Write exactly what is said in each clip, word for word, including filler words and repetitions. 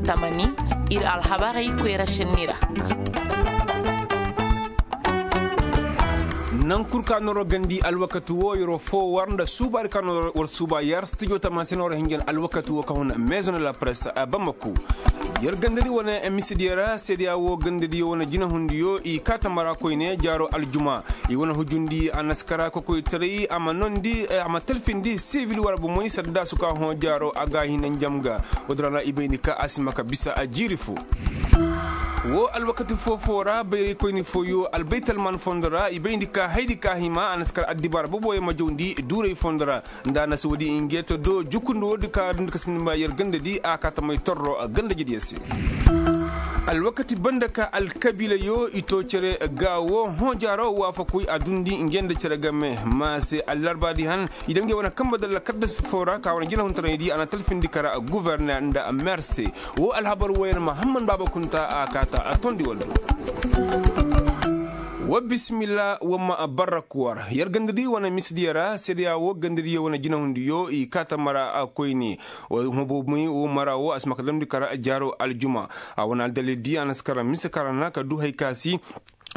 Tamani, ir alhabarey koyra šenni ra. Naŋ kul ka noro gandi alwakati wo yeroo foo war nda suubaadi ka noro war suuba yar stijo tamani se noro hinjan alwakati wo ka hun maison de la presse. Bamako yer gandadi wane misidiyo ra seedeya wo gandadiyo wane jinahundiyo i kaa tamara koyne jaaro aljuma. I wane hujundi a na si kara kokoytaray a ma nondi a ma talfindi sivil war bomoy saddaasu ka hõ jaaro a ga a hina njam ga. Woodin ra na i bayndi ka a si ma ka bisa a jiiri foo. Woo alwakati foo-foo ra bayraykoyni fooyo albaytalman fondo ra i bayndi ka haydi ka hima a na si kar addibaara boboyo ma jawndi duuray fondo ra. Nda a na si woodi ingeeto do jukundi woodi ka dundi ka sinima yer gandadi a kaa tamay torro gandajediyo se. Alwakati banda ka alkabiilayo i too cere ga woo hõ jaaro waafakuy a dundi nge nda cere game ma se allarbaadi han. I daŋ nge wane kambe dalla kaddas foo ra ka wane jinahuntaray di a na talfindi kara guverner nda mer se. Woo alhabar wooyaŋ mahamman baaba kunta a kaa ta a tondi walla. Wa bisimilla wa ma barrak war yer gandadi wane misidiyo ra seedeya woo gandadiyo wane jinahundiyo i kaa ta mara koyne. Wa hubomi woo mara woo a si ma ka damndi kara jaaro aljuma. A wane aldalil di a na si kara mise kara na ka du hay ka si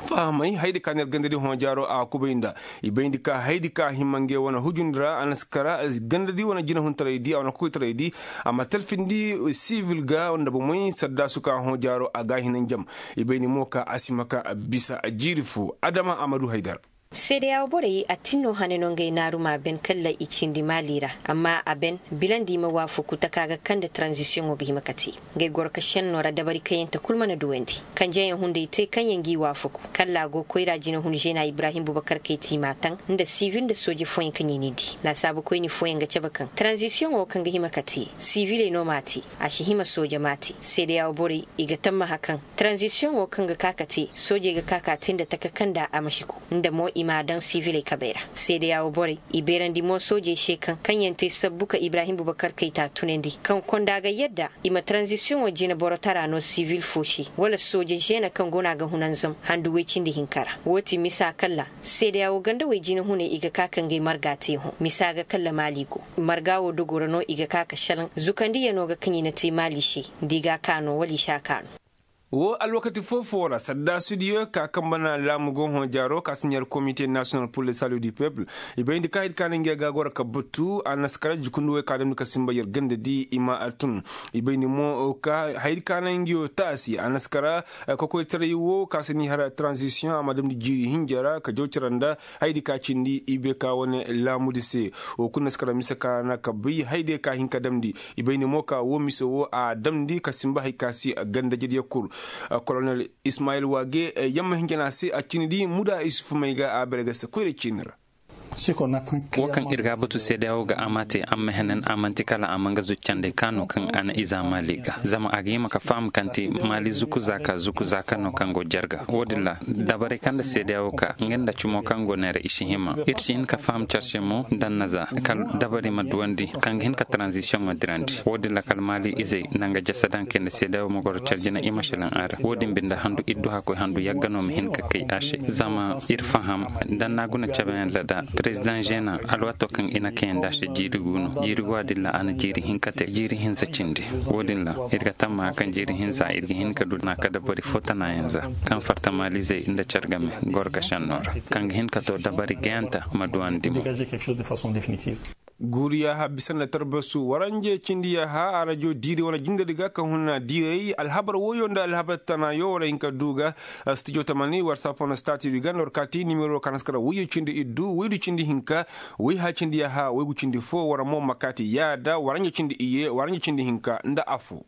fahamay haydi ka na yer gandadi hõ jaaro a kubay nda i bayndi ka haydi ka hima nge wane hujundi ra a na si kara gandadi wane jinahuntaray di a wane kokoytaray di. A ma talfindi sivil ga nda bomey saddaasu ka hõ jaaro a ga a hina njam. I bayndi mo ka a si ma ka bisa jiiri foo adama a ma du haydar. Seedeya wo borey a tin no hane no ngey naaru ma ben kalla i cindi maali ra. Amma a ben bilandi i ma waafaku taka ga kaŋ nda taranzisiyoŋo ga hima ka te. Ngey goro ka šenno ra dabari kaŋ yaŋ te kul mana duwandi kanjeyaŋ hunday te kaŋ yaŋ g'i waafaku kalla a go koyra jinahun žena ibrahim bubakar kay ti i m'a taŋ nda sivil nda sooje fooyaŋ kaŋ i n'i di laasaabukoyni fooyaŋ ga cabe kaŋ taranzisiyoŋo kaŋ ga hima ka te siviley no m'a te. A si hima sooje m'a te seedeya wo borey i ga tammaha kaŋ taranzisiyoŋo kaŋ ga ka ka te soojey ga ka ka te nda taka kaŋ nda a ma si ku nda mo i m'a daŋ siviley kabey ra. Seedeya wo borey i beerandi mo soojey se kaŋ kaŋ yaŋ te sabbu ka ibrahim bubakar kayta tunandi kaŋ konda ga yadda i ma taranzisiyoŋo jina boro tara no sivil fo se wala sooje žeena kaŋ go no a ga hunanzam handu woy cindi hinka ra. Woo ti misa kalla seedeya wo ganda woy jinahuney i ga ka ka ngey marga te hõ misa ga kalla maali go marga wo dogo ra no i ga ka ka šelaŋ zukandiyano ga kaŋ i na te maali se. Nda i ga a ka no wala i si a ka no. Woo alwakati foo-foo ra saddaasudiyo ka kambe na laamu go hõ jaaro ka si ɲar komite nasiyonal pur le salu du pepul. I bayndi ka hay di ka na ngey ga goro ka batu a na si kara jukundi woy ka damndi ka sinba yer ganda di i ma a tun. I bayndi mo ka hay di ka na ngey wo taasi a na si kara kokoytaray wo ka si ni har taranzisiyoŋ a ma damndi jiiri hinja ra ka jaw cere nda hay di ka cindi i bay ka wane laamudi se. Woo kulu na si kara mise ka na ka bay hay di ka hin ka damndi. I bayndi mo ka woo mise woo a damndi ka sinba hay ka si gandajediyo kul. Kolonel ismayil waage yamma hinja na a se a cindi di muda isufu may ga a bare ga se koyra ciini ra. Woo kaŋ ir ga a batu seedeya woo ga a ma te amma henen a man'ti kala a ma nga zuccandey ka no kaŋ a na iza maali ga zama a ga hima ka faham kaŋ ti maali zuku zaaka zuku zaaka no kaŋ go jarga woo din ra. Dabarey kaŋ nda seedeya woo ka nga nda cumo kaŋ go neera i si hima ir si hin ka faham carse mo daŋ na za kala dabari ma duwandi kaŋ ga hin ka taranzisiyoŋo dirandi woo din ra kala maali izey nanga jasa daŋ kay nda seedeya woo ma goro care jina i ma šelaŋ a ra woo din binde handu ir du hakkoy handu yagga no ma hin ka kay a se zama ir faham daŋ na guna cabeyaŋ ra da perezidaŋ žena alwaato kaŋ i na kayandi a se jiiri gu no jiiri gu a din ra a na jiiri hinka te jiiri hinza cindi. Woo din ra ir ga tammaha kaŋ jiiri hinza ir ga hin ka du na ka dabari fo tanayaŋ za kaŋ fatta maalizey nda care game goro ga šenno ra kaŋ ga hin ka to dabari gayanta ma duwandi mo. Guuriya ha bisa nda tarbasu waranje cindi ya ha arajo diiri wane jindadi ga ka huna diiray alhabar woyo nda alhabar tanayo war hin ka du ga. Stijo tamani war sapon stati du ga nda war kaati nimero ka na si kara woyo cindi iddu woydu cindi hinka woy ha cindi ya ha woygu cindi fo war mo ma kaati yaada waranje cindi iye waranje cindi hinka nda afo.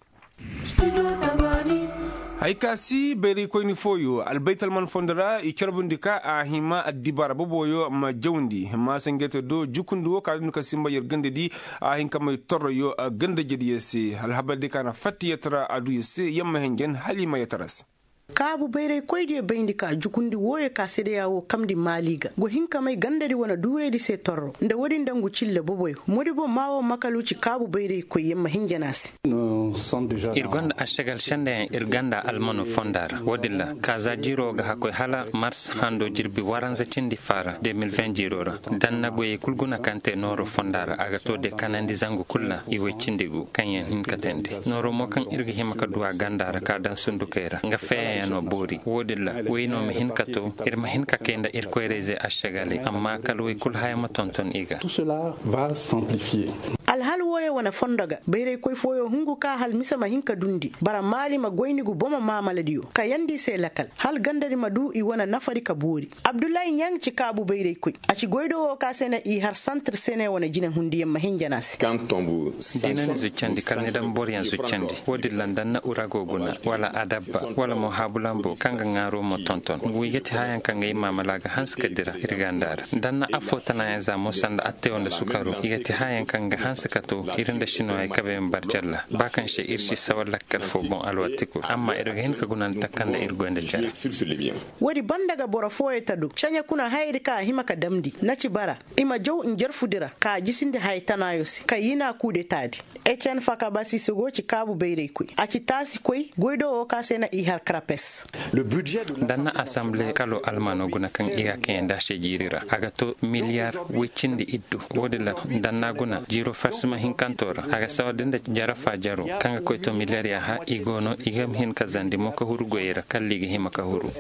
Hay ka si bayraykoyni fooyo albaytalman fondo ra i carbundi ka a hima addibaara boboyo ma jawndi maasangete do jukundi wo ka dundi ka sinba yer gandadi. A hin ka may torroyo gandajediyo se alhabardi ka na fattiyete ra aduyo se yamma henjen hala i ma yetara se. Kaabu bayraykoydiyo bayndi ka jukundi wooyo ka sedeya woo kamndi maali ga go hin ka may gandadi wane duuraydi se torro nda woodin nda ngu cille boboyo modibo maa woo makalu ci kaabu bayraykoy yer ma hin jana se. Ir gonda ašagal sendeyaŋ ir ganda almano fonda ra woodin ra ka za jiiro ga hakkoy hala mars hando jirbi waranza cindi faara de mil ven jiiro ra. Danna goyey kul guna kaŋ te nooro fonda ra a ga to de kanandi zangu kul ra i woy cindi gu kaŋ yaŋ hin ka teendi nooro mo kaŋ ir ga hima ka du a ganda ra ka daŋ sundukey ra nga feeyaŋ yaŋ no boori woodin ra woy no ma hin ka to ir ma hin ka kay nda ir koyrayzey ašagaley amma kala woy kul haya ma tonton i ga. Alhal wooyo wane fondo ga bayraykoy fooyo hungu ka hal mise ma hin ka dundi bara maali ma goyni gu bomo maamaladiyo kayandi i se lakal hal gandadi ma du i wane nafadi ka boori. Abdullahi ɲaŋ ci kaabu bayraykoy a ci goydo woo ka se na i har santir sene wane jinehundiyaŋ ma hin jana se. Dina ni zuccandi kala ni daŋ boroyaŋ zuccandi woodin ra nda na urago guna wala adabba wala mo haabulambo kaŋ ga ŋaaro mo tonton ngu i ga ti hayaŋ kaŋ ga i maamala ga hanse ka dira ir ganda ra. Nda na affoo tanaayaŋ za mo sanda attewo nda sukaro i ga ti hayaŋ kaŋ ga hanse ka to ir nda sinoyey kabey ma barjalla ba kaŋ se ir si sawa lakkal foo boŋ alwatti kul amma ir ga hin ka guna nda takanda ir goy nda care. Woodi banda ga boro fooyo ta du ceɲe kuna hayadi kaŋ a hima ka damndi na ci bara i ma jaw njarfudi ra ka a jisindi haya tanaayo se ka yina kuudetaadi. Ecen fakabasi se go ci kaabu bayraykoy a ci taasikoy goydo woo ka se na i har karapes. Danna asamble kalo almano guna kaŋ i ga a kaŋ yaŋ da se jiiri ra a ga to miliyar woy cindi iddu. Woodin ra danna guna jiiro farsima hinkanto ra a ga sawar da nda jarafa jaro kaŋ ga koy to miliyar yaaha i go no i ga hin ka zandi mo ka huru goyey ra kalla i ga hima ka huru.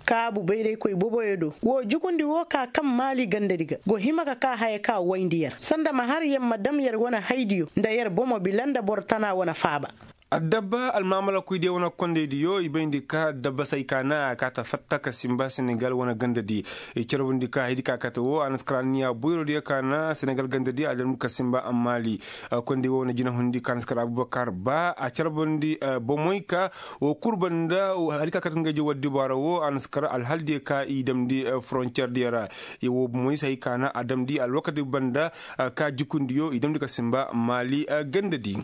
Kaabu bayraykoy boboyo do woo jukundi woo ka kaŋ maali gandadi ga go hima ka ka haya ka wayndi yer sanda ma har yer ma dam yer wane haydiyo nda yer bomo bila nda boro tana wane faaba. Addabba almaamalakoydiyo wane kondaydiyo i bayndi ka addabba se ay kaana a kaata fatta ka simba senegal wane gandadi. I carbundi ka haydi ka kate woo a na si kar anniya boyrodiyo kaana senegal gandadi a damndi ka simba ammaali. Konday woo wane jinahundi ka a na si kar abubakar ba a carbundi bomoy ka woo kul banda. Haydi ka kate ngey je waddi baara woo a na si kar alhaldiyo ka i damndi foroncerdiyo ra. Woo bomoy se hay kaana a damndi alwakati banda ka jukundiyo i damndi ka simba maali gandadi.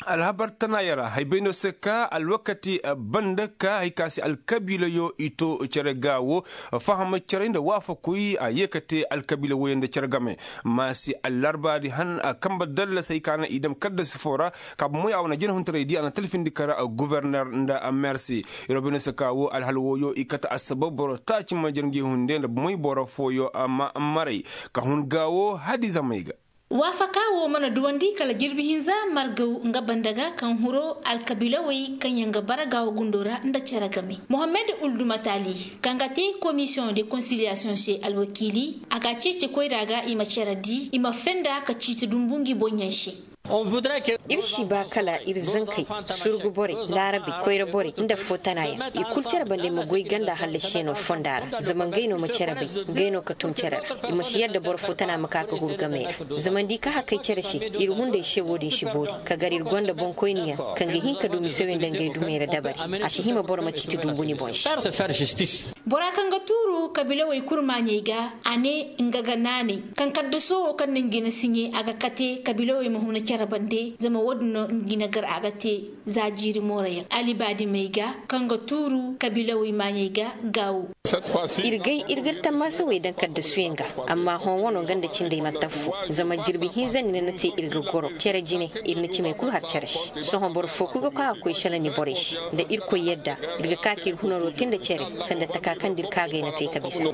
Alhabar tanaaya ra hay bay no se ka alwakati banda ka hay ka se alkabiilayo i to cere ga wo. Faham cere nda waafakuy a ye ka te alkabiila woyo nda cere game. Ma se allarbaadi han a kambe dallas hay ka na i dam kaddasi foo ra. Ka bomoy a wane jinahuntaray di a na talfindi kar guverner nda mersi. Yer wo bay no se ka wo alhal woyo i kate assabab boro taaci ma jere ngi hunde nda bomoy boro fooyo ma maray ka hun ga wo hadiza may ga. Waafaka woo mana duwandi kala jirbi hinza margaw nga banda ga kaŋ huro alkabiilawey kaŋ yaŋ ga bara gaawo gundo ra nda cere game. Mohammed uldumatali kaŋ ga te komisiyoŋ de konsiliyasiyoŋ se alwakiili a ga a ceeci koyra ga i ma cere di i ma fenda ka ciiti dumbu ngi boŋyaŋ se. Ir si ba kala ir zankey, surgu borey, laarabey, koyra borey nda foo tana yaŋ i kul cere bande ma goy ganda hallasi se no fonda ra zama ngey no ma cere bay. Ngey no ka tun cere ra. I ma si yadda boro foo tana ma ka ka huru gamey ra. Zama nda i ka hakay cere se ir hunday se wo-din si boori. Ka gar ir gonda boŋkoyniyaŋ kaŋ ga hin ka du misewey nda ngey dumey ra dabari. A si hima boro ma ciiti dumbu ni boŋ se. Bora kaŋ ga tuuru kabiilawey kul maaɲey ga a ne nga ga naanay kaŋ kaddaso wo kaŋ na ngi na siɲe a ga kate kabiilawey ma huna cere bande. Zama wo-din no ngi na gar a ga te za jiiri moorayaŋ alibaadimey ga kaŋ ga tuuru kabiilawey maaɲey ga. Gaawo. Ir gay ir ga ir tammaasawey daŋ kaddasuyaŋ ga. Amma hõ wano nga nda cindey manti affoo. Zama jirbi hinza ni na na te ir ga goro cere jine. Ir na cimey kul har cere se. Sohõ boro foo kul ga ka ga koy sala ni borey se. Nda irkoy yadda ir ga ka ka ir hunaro te nda cere sanda taka kaŋ da ir kaagay na te ka bisa.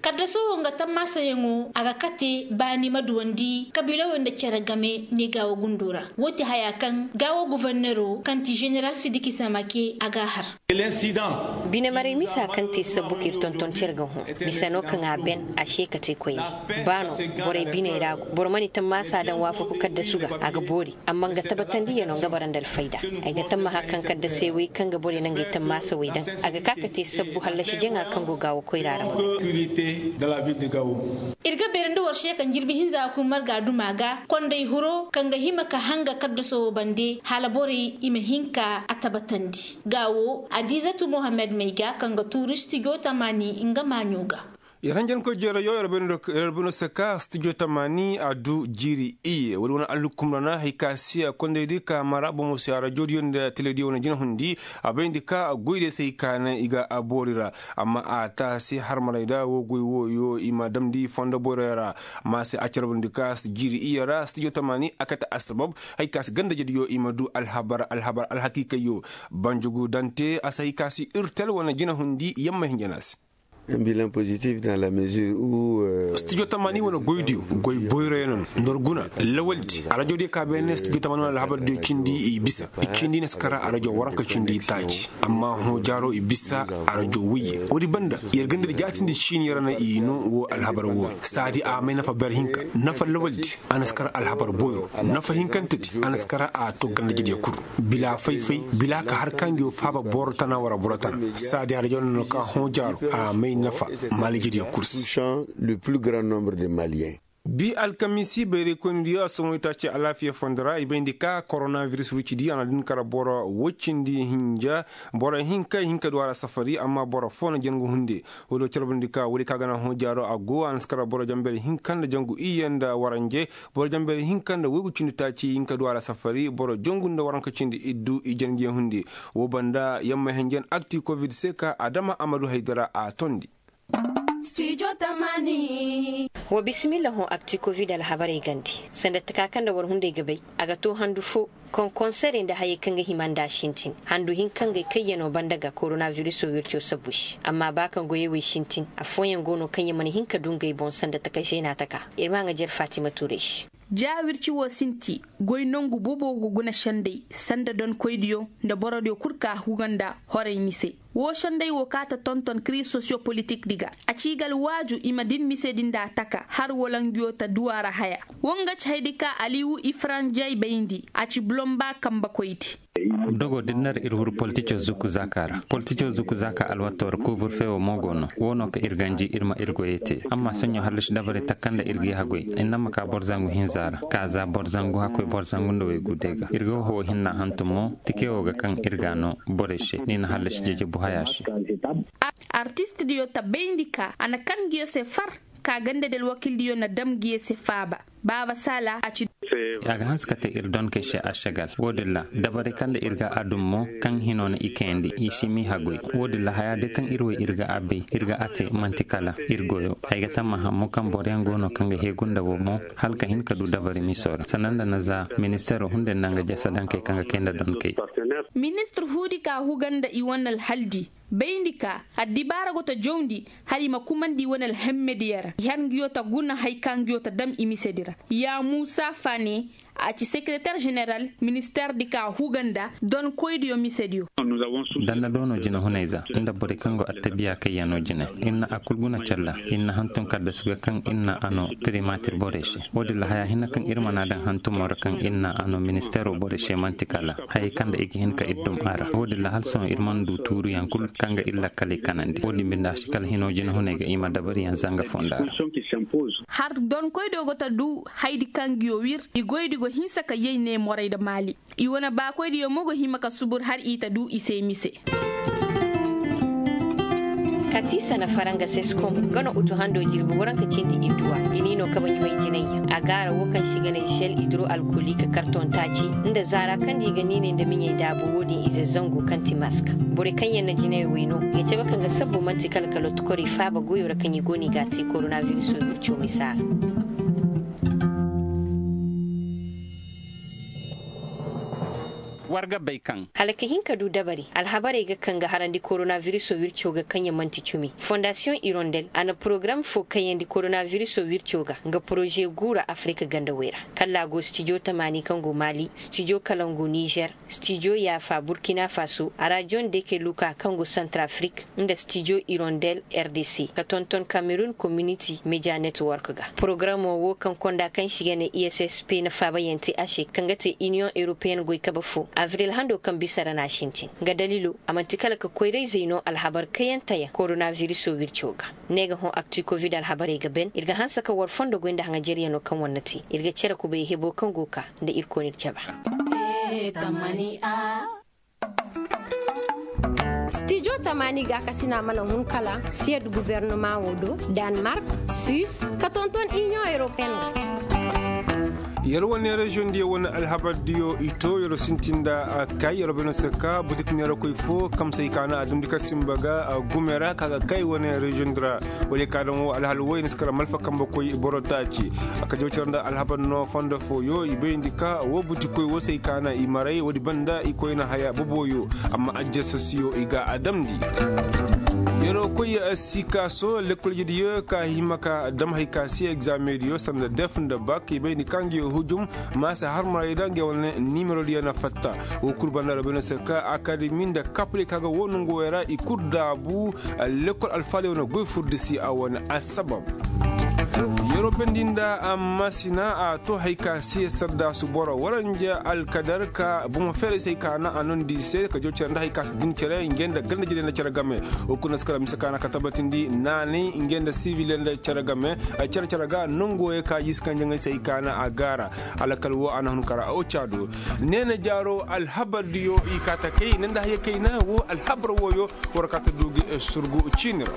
Kaddaso wo nga tammaasayaŋo a ga kate baani ma duwandi kabiilawey nda cere game ne gaawo gundo ra. Wo ti haya kaŋ gaawo gufornero kaŋ ti ženeral sidiki samake a g'a har. Bine maray misa kaŋ te sabbu ka ir tonton cere ga hõ. Mise no kaŋ a ben a se ka te koyne. Ba no borey biney ra go boro mana i tammaasa daŋ waafaku kaddasu ga a ga boori. Amma nga tabatandiyano nga bara nda alfayda. Ay ga tammaha kaŋ kaddasey wey kaŋ ga borey na ngey tammaasa wey daŋ a ga ka ka te sabbu hallasi jaŋa kaŋ go gaawo koyra ra. Ir ga beerandi war se kaŋ jirbi hinza kul marga duma ga konday huro kaŋ ga hima ka hanga kaddaso wo bande hala borey i ma hin ka a tabatandi. Gaawo adizatu mohammed may ga kaŋ ga tuuristi go tamaani nga maaɲo ga. Yer hanjankoy jeerayo yer bay no se ka stijo tamaani a du jiiri iyye woodi wane alhukum ra na hari ka si a kondaydi ka mara bomo se a rajodiyo nda telediyo wane jinahundi. A bayndi ka goydiyo se hari ka naŋ i ga boori ra. Amma a taasi harmarayda woo goy wooyo i ma damndi fondo boyroyo ra. Amma se a carbandi ka jiiri iyye ra stijo tamaani a kate assabab hari ka si gandajediyo i ma du alhabar alhabar alhakiikayyo. Banjugu dante a si hari ka si irtel wane jinahundi yamma hinja no a se. Stijo tamaani wane goydiyo goy boyroyaŋ no nda war guna lawaldi arajo diyo ka beene stijo tamaani wane alhabardiyo cindi i bisa. I cindi na si kara arajo waranka cindi taaci. Amma hõ jaaro i bisa arajo woyye woodi banda yer ga nda ir jaatindi ciini ra na i no woo alhabar wooyo saadi a may nafa ber hinka nafa lawaldi. A na si kara alhabar boyro nafa hinkantedi a na si kara a to gandajediyo kul bila fay-fay bila ka har ka ngi woo faaba boro tana wara boro tana. Saadi arajo no ka hõ jaaro a may nafa malijediyo kul se. Le plus grand nombre de maliens. Bi alkamiisi bayraykoynidiyo a somoytaaci alaafiya fondo ra i bayndi ka koronabiris rucidi a na din kara boro woy cindi hinja. Boro hinka i hin ka du a ra safari amma boro foo na jangu hunde. Woodiyo carbandi ka woodi ka ga na hõ jaaro a go a na si kara boro janberi hinka nda jangu iyye nda waranje. Boro janberi hinka nda woygu cindi taaci i hin ka du a ra safari boro jangu nda waranka cindi iddu i jangiyaŋ hunde. Woo banda yamma hinjan akti kovid se ka adama a ma du haydara a tondi. Wa bisimilla hõ akti kovid alhabarey gande sanda taka kaŋ nda war hunday ga bay. A ga to handu fo koŋ konserey nda hayey kaŋ ga hima nda a sintin handu hinka ngey kayyano banda ga koronabiriso wirco sabbu se amma ba kaŋ goyey wey sintin affooyaŋ go no kaŋ ya mana hin ka du ngey boŋ sanda taka zeena taka. Ir ma a ŋajer fatima tuurey se. Ja wirci wo sinti goy nongu bobo go guna sendey sanda donkoydiyo nda borodiyo kul ka huga nda horey mise. Woo sendey wo ka ta tonton kiriz sosiyo politik di ga a ci ga alwaaju i ma din misedi nda taka har wala nguyo ta duwa ra haya. Wo nga ci haydi ka aliwu ifaranjey bayndi a ci bulomba kambekoydi. Dogo din na ir huru politico zuku zaaka ra politico zuku zaaka alwato ra kuvur fe wo mo go no wo no ka ir ganji ir ma ir goyey te amma soɲõ hallasi dabari takanda ir ga i hagoy. Inna ma ka boro zangu hinza ra ka za boro zangu hakkoy boro zangu nda waygu day ga ir ga hoho hinna hantum mo tike wo ga kaŋ ir ga a no borey se ni na hallasi jejebu haya se. Artistdiyo ta bayndi ka a na kan nguyo se far ka gandadi alwakildiyo na dam nguyo se faaba. Baaba saala a ci. A ga hanse ka te ir donkey se ašagal wo-din ra dabari kaŋ nda ir ga a dum mo kaŋ hino na i kayandi i si m'i hagoy. Wo-din ra haya day kaŋ ir wey ir ga a bay ir ga a te man'ti kala ir goyo. Ay ga tammaha mo kaŋ boroyaŋ go no kaŋ ga heegu nda wo mo hala ka hin ka du dabari miso ra sanda nda na za ministeero hunday nda nga jasa dankey kaŋ ga kay nda donkey. Ministir huudi ka huga nda i wane alhaldi bayndi ka addibaara go ta jawndi hala i ma kumandi i wane alhemmediyo ra i har nguyo ta guna hari ka nguyo ta dam i misedi ra. Ya muusa faane a ci sekereter ženeral ministeerdi ka huga nda donkoydiyo misediyo. Danda do no jinehunayza nda borey kaŋ go attabiya kayyaŋo jine. Ir na a kul guna calla ir na hantum kaddasu ga kaŋ ir na a no primatir borey se. Wo-din ra haya hinne kaŋ ir mana daŋ hantumo ra kaŋ ir na a no ministeero borey se man'ti kala hayey kaŋ nda i ga hin ka ir dum a ra wo-din ra hala sohõ ir mana du tuuruyaŋ kul kaŋ ga ir lakkaley kanandi wo-din binde a si kala hino jinehuney ga i ma dabariyaŋ zanga fonda ra. Har donkoydiyo go ta du haydi kaŋ nguyo wir i goydi go hinsa ka yay ne morey nda maali. I wane baakoydiyo mo go hima ka subur har i ta du i se mise. Kati sana faranga seskom nga no utu hando jirbi waranka cindi idduwa i ni no kaba ɲumay jinayya a gaara wo kaŋ si ga ne sel idro alkolik karton taaci nda zaara kaŋ di ga niinay nda miɲey daabu wo-din ize zangu kaŋ ti maska. Borey kaŋ yaŋ na jinayey wey no ga cabe kaŋ ga sabbu man'ti kala kala tukorey faaba goyo ra kaŋ i go no i ga a te koronabiriso wirco misa ra. War ga bay kaŋ hala ka hin ka du dabari alhabarey ga kaŋ ga harandi koronabiriso wirco ga kaŋ ya man'ti cumi fondasiyoŋ irondel a na porogaram fo kayandi koronabiriso wirco ga nga poroze guura afirika gandawey ra. Kalla a go stijo tamaani kaŋ go maali stijo kalangu nizer stijo yaafa burkina faso arajon deke luka kaŋ go santrafrik nda stijo irondel rdc ka tonton kamerun kominiti media network ga. Porogaramo wo kaŋ konda kaŋ si ga ne i s s p na faabayaŋ te a se kaŋ ga te iniyoŋ europeyen goy kabe fo avril hando kaŋ bisa ra no a sintin nga daliilo a man'ti kala ka koyrayzey no alhabar kayanteyaŋ koronabiriso wirco ga. Ne ga hõ akti kovid alhabarey ga ben ir ga hanse ka war fondo goy nda haŋajeryaŋo kaŋ war na te ir ga cere kubay hebo kaŋ go ka nda ir koonir caba. Tamaani gaakasina mana hun kala siyed gubernumaŋo do, danmark, suis, ka tonton iniyoŋ europeen. Yer wane reziyoŋ diyo wane alhabar diyo i to yer sintin nda kay yer bene se ka butik neerakoy fo kamsay ka na a dumndi ka simba ga gume ra ka ga kay wane reziyoŋ di ra. Wala i ka daŋ wo alhal wo i na si kala malfa kambe koy boro taaci. A ka jaw cere nda alhabar no fondo fooyo i bayndi ka wo butikoy wo se i ka na i maray woodi banda i koyna haya boboyo. Amma ajjasasiyo i ga a damndi. Yeroo koy sikaaso lekkol jediyo ka hima ka dam hay ka si egzaameŋ diyo sanda def nda bak i bay ni ka nga yo hujum. Ma si harmaray da nga yo wane nimero diyo na fatta. Wo kul banda ra bay no se ka akademi nda kapri ka ga wo nongo wey ra i kul daabu. Lekkol alfaaliyo na goy furdi si a wane assabab. Yeroo bendi nda amma sina a to hay ka si saddaasu boro waranja alkadar ka bomo feeray se hay ka na a nondi i se ka jaw cere nda hay ka si din cere ngey nda ganda jediyo nda cere game. Wo kuna si kala mise ka na ka tabatindi naanay ngey nda sibil nda cere game. Cere cere ga nongo wey ka jiisi kanjaŋey se hay ka na a gaara. Alakal wo a na hun kara o caado. Neena jaaro alhabar diyo i kaata kay ne nda haya kayna wo alhabar wooyo. War kaata du gi surgu ciini ra.